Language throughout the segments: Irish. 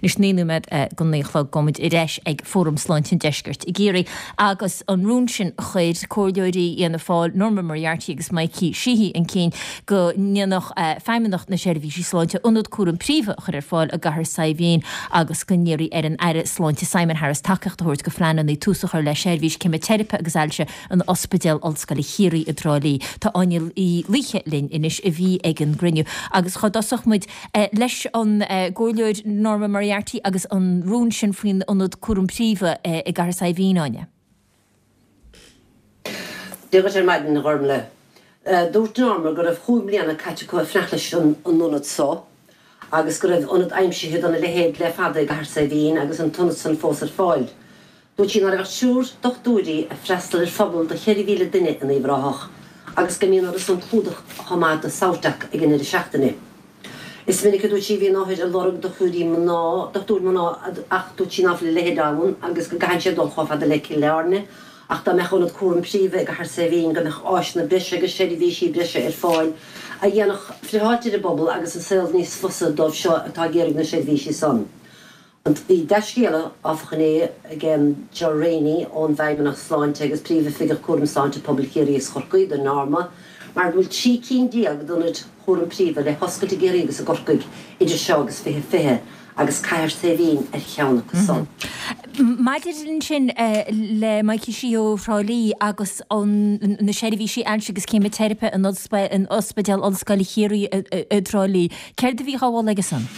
Anois 9 nóiméad go 9 a chlog gabhfaidh muid ar ais ag Fóram Sláinte an Deiscirt i gCiarraí agus an rún sin a chuir comhairleoirí Fhianna Fáil, Norma Moriarty agus Mikey Sheehy chun cinn go ndéanfadh Feidhmeannacht na Seirbhísí Sláinte ionad cúraim príomha a chur ar fáil i gCathair Saidhbhín agus go n-iarrfaí ar an Aire Sláinte Simon Harris tacaíocht a thabhairt do phleananna tús a chur le seirbhís ceimiteiripe agus ailse in Ospidéal Ollscoile Chiarraí i dTrá Lí. Tá Áine Uí Laoithe linn anois a bhí ag an gcruinniú agus cá dtosódh muid leis an gComhairleoir Norma Moriarty agus an rún sin faoin ionad cúram príomha i gCathair Saidhbhín, Áine. Dia dhuit ar maidin, a Ghormlaith. Dúirt Norma go raibh chúig mbliana caite acu ag fanacht leis an ionad so agus go raibh ionad aimsithe dona leithéid le fada i gCathair Saidhbhín agus an t-ionad san fós ar fáil. Dúirt sí ná raibh ach triúr dochtúirí ag freastal ar phobal de 4,000 duine in Uíbh Ráthach agus go mbíonn orthu san clúdach chomh maith do Southdoc ag an ndeireadh seachtaine. Is minic a dúirt sí a bhíonn othair ag lorg dochtúirí mná, dochtúir mná ach dúirt sí ná fuil a leithéid ann agus go gcaitheann siad dul chomh fada le Cill Airne ach dá mbeadh ionad cúraim príomha i gCathair Saidhbhín go mbeadh áiseanna breise agus seirbhísí breise ar fáil a dhéanfadh friotháit ar an bpobal agus an saol níos fusa dóibh seo atá ag iarraidh na seirbhísí san. Bhí dea-scéala, áfach, inné ag Ger Rainey ón bhFeidhmeannacht Sláinte agus Príomhoifigeach Cúram Sláinte Pobail Chiarraí is Chorcaí do Norma mar go bhfuil 13 cinn d'ionaid chúram príomha le hoscailt i gCiarraí agus i gCorcaigh idir seo agus 2020 agus Cathair Saidhbhín ar cheann acu san. Maidir ansin le Mikey Sheehy ó Thrá Lí agus na seirbhísí ailse agus ceimiteiripe in Ospidéal Ollscoile Chiarraí i dTrá Lí, céard a bhí á mholadh aige san?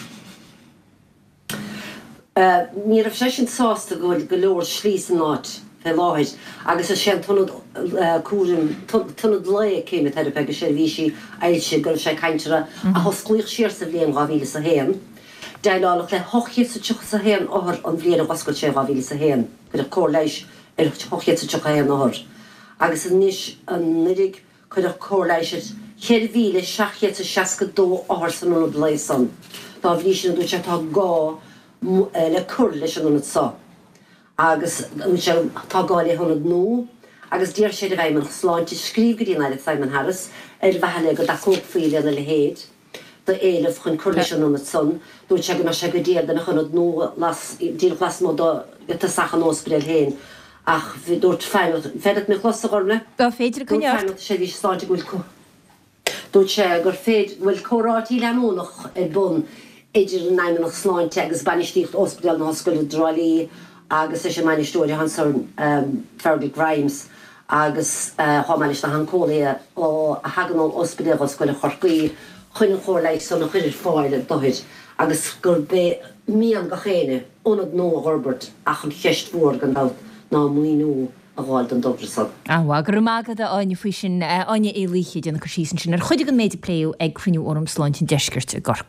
Ní raibh seisean sásta go bhfuil go leor slí san áit fé láthair agus is é an t-ionad cúraim, t-ionad lae ceimiteiripe agus seirbhísí ailse go raibh sé ag caint orthu, a hosclaíodh siar sa bhliain 2001. Déileáladh le 831 othar an bhliain a dh'oscail sé in 2001. Cuireadh cóir leighis ar 831 othar agus anois anuiridh Cuireadh cóir leighis ar 4,762 othar san ionad lae san. Dá bhrí sin, a dúirt sé, tá gá le cur leis an ionad so agus, a dúirt sé, tá gá le hionad nua agus d'iarr sé ar an bhFeidhmeannacht Sláinte scríobh go dtí an Aire Simon Harris ar mhaithe le go dtacófaí lena leithéid d'éileamh chun cur leis an ionad san. Dúirt sé go mbeadh sé go diail dá mbeadh ionad nua las, díreach lasmuigh de tosach an óspidéil féin ach dúirt Feidhmeannacht, féidir leat mé a chlos, a Ghormlaith? Tá féidir, coinnigh ort. Dúirt Feidhmeannacht Seirbhíse Sláinte go bhfuil Dúirt sé gur féidir, go bhfuil comhráití leanúnach ar bun idir an Fheidhmeannacht Sláinte agus bainistíocht Ospidéal na hOllscoile i dTrá Lí agus leis an mbainisteoir ansan Fergal Grimes agus chomh maith leis na hanceolaithe a thagann ó Ospidéal Ollscoile Chorcaí chun an chóir leighis san a chur ar fáil d'othair agus gurb é mian gach éinne ionad nua a dh'fhorbairt ach an cheist mhór gan dabht ná maoiniú a dh'fháil don dtogra san. An-mhaith. Go raibh maith agat a Áine faoi sin. Áine Uí Laoithe ag déanamh cur síos ansin ar chuid den méid a pléadh ag cruinniú Fhóram Sláinte an Deiscirt i gCorcaigh.